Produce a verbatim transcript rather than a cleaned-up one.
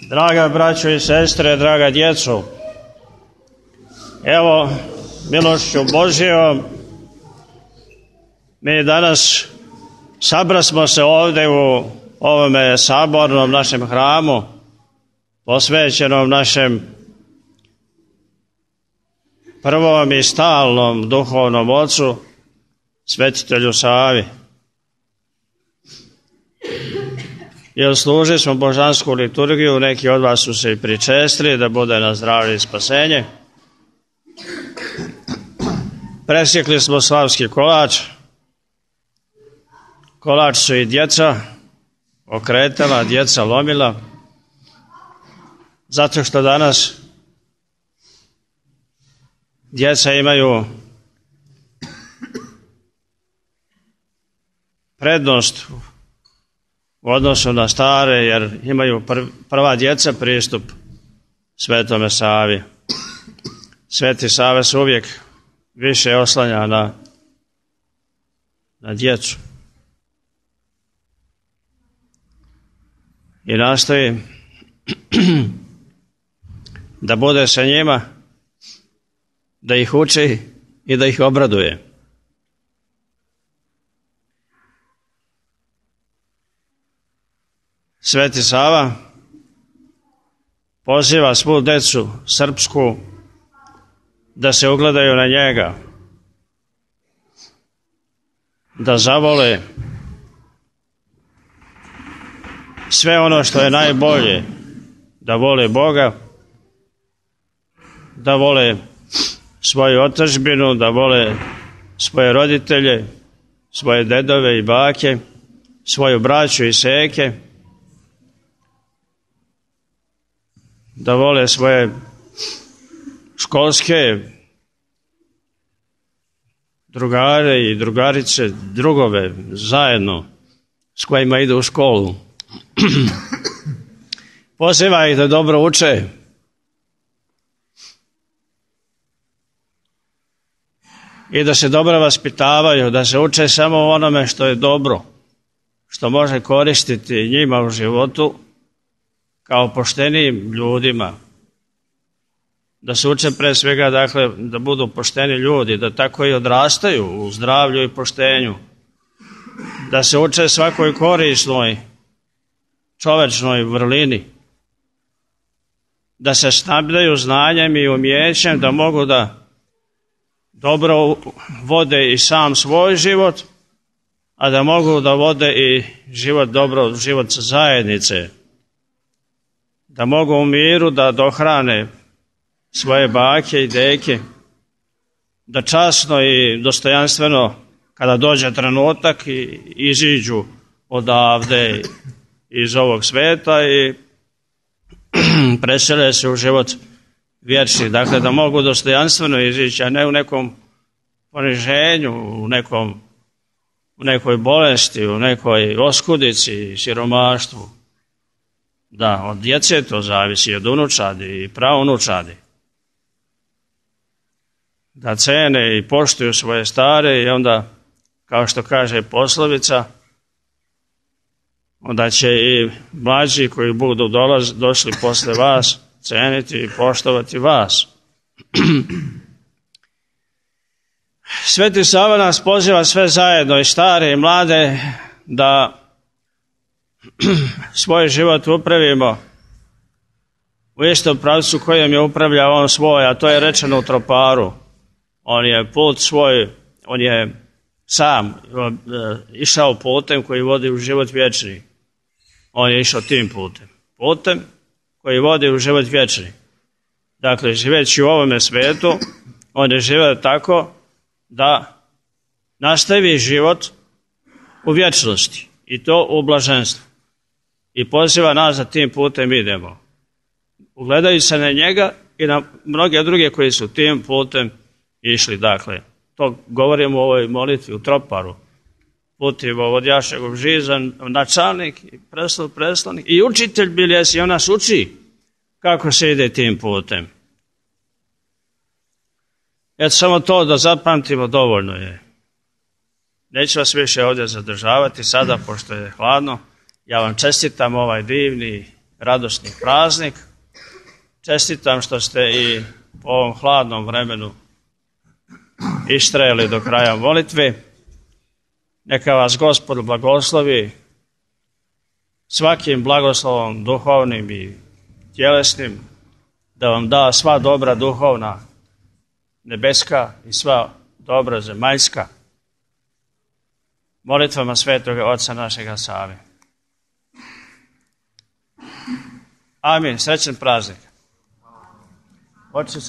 Draga braćo i sestre, draga djeco, evo milošću Božjom mi danas sabrasmo se ovdje u ovome sabornom našem hramu, posvećenom našem prvom i stalnom duhovnom ocu, svetitelju Savi. Jer služili smo božansku liturgiju, neki od vas su se i pričestili, da bude na zdravlje i spasenje. Presjekli smo slavski kolač. Kolač su i djeca okretala, djeca lomila, zato što danas djeca imaju prednost u odnosu na stare, jer imaju prva djeca pristup Svetome Savi. Sveti Sava se uvijek više oslanja na, na djecu i nastoji da bude sa njima, da ih uči i da ih obraduje. Sveti Sava poziva svu djecu srpsku da se ugledaju na njega, da zavole sve ono što je najbolje, da vole Boga, da vole svoju otadžbinu, da vole svoje roditelje, svoje dedove i bake, svoju braću i seke, da vole svoje školske drugare i drugarice, drugove zajedno s kojima idu u školu. Poziva ih da dobro uče, i da se dobro vaspitavaju, da se uče samo onome što je dobro, što može koristiti njima u životu kao poštenim ljudima. Da se uče pre svega, dakle, da budu pošteni ljudi, da tako i odrastaju u zdravlju i poštenju. Da se uče svakoj korisnoj čovečnoj vrlini. Da se snabdaju znanjem i umjećem, da mogu da dobro vode i sam svoj život, a da mogu da vode i život dobro, život zajednice. Da mogu u miru da dohrane svoje bake i deke, da časno i dostojanstveno, kada dođe trenutak, i iziđu odavde iz ovog sveta i presele se u život vječni. Dakle, da mogu dostojanstveno izići, a ne u nekom poniženju, u, nekom, u nekoj bolesti, u nekoj oskudici, siromaštvu. Da, od djece to zavisi, od unučadi i praunučadi. Da cene i poštuju svoje stare i onda, kao što kaže poslovica, onda će i mlađi koji budu dolaz, došli posle vas ceniti i poštovati vas. Sveti Sava nas poziva sve zajedno, i stare i mlade, da svoj život upravimo u istom pravcu kojem je upravljao on svoj, a to je rečeno u Troparu. On je put svoj, on je sam išao putem koji vodi u život vječni. On je išao tim putem. Putem koji vodi u život vječni. Dakle, živeći u ovome svijetu, on je živio tako da nastavi život u vječnosti, i to u blaženstvu. I poziva nas da tim putem idemo. Ugledajući se na njega i na mnoge druge koji su tim putem išli. Dakle, to govorimo u ovoj molitvi u Troparu. Puti vovodjašeg žizan, načalnik i preslov preslanik i učitelj bili jesi, i on nas uči kako se ide tim putem. Eto, samo to da zapamtimo dovoljno je. Neću vas više ovdje zadržavati sada, pošto je hladno. Ja vam čestitam ovaj divni, radosni praznik. Čestitam što ste i po ovom hladnom vremenu istrajali do kraja molitve. Neka vas Gospod blagoslovi svakim blagoslovom duhovnim i tjelesnim, da vam da sva dobra duhovna nebeska i sva dobra zemaljska. Molitvama Svetoga Oca našega Save. Amin. Srećan praznik. Oče,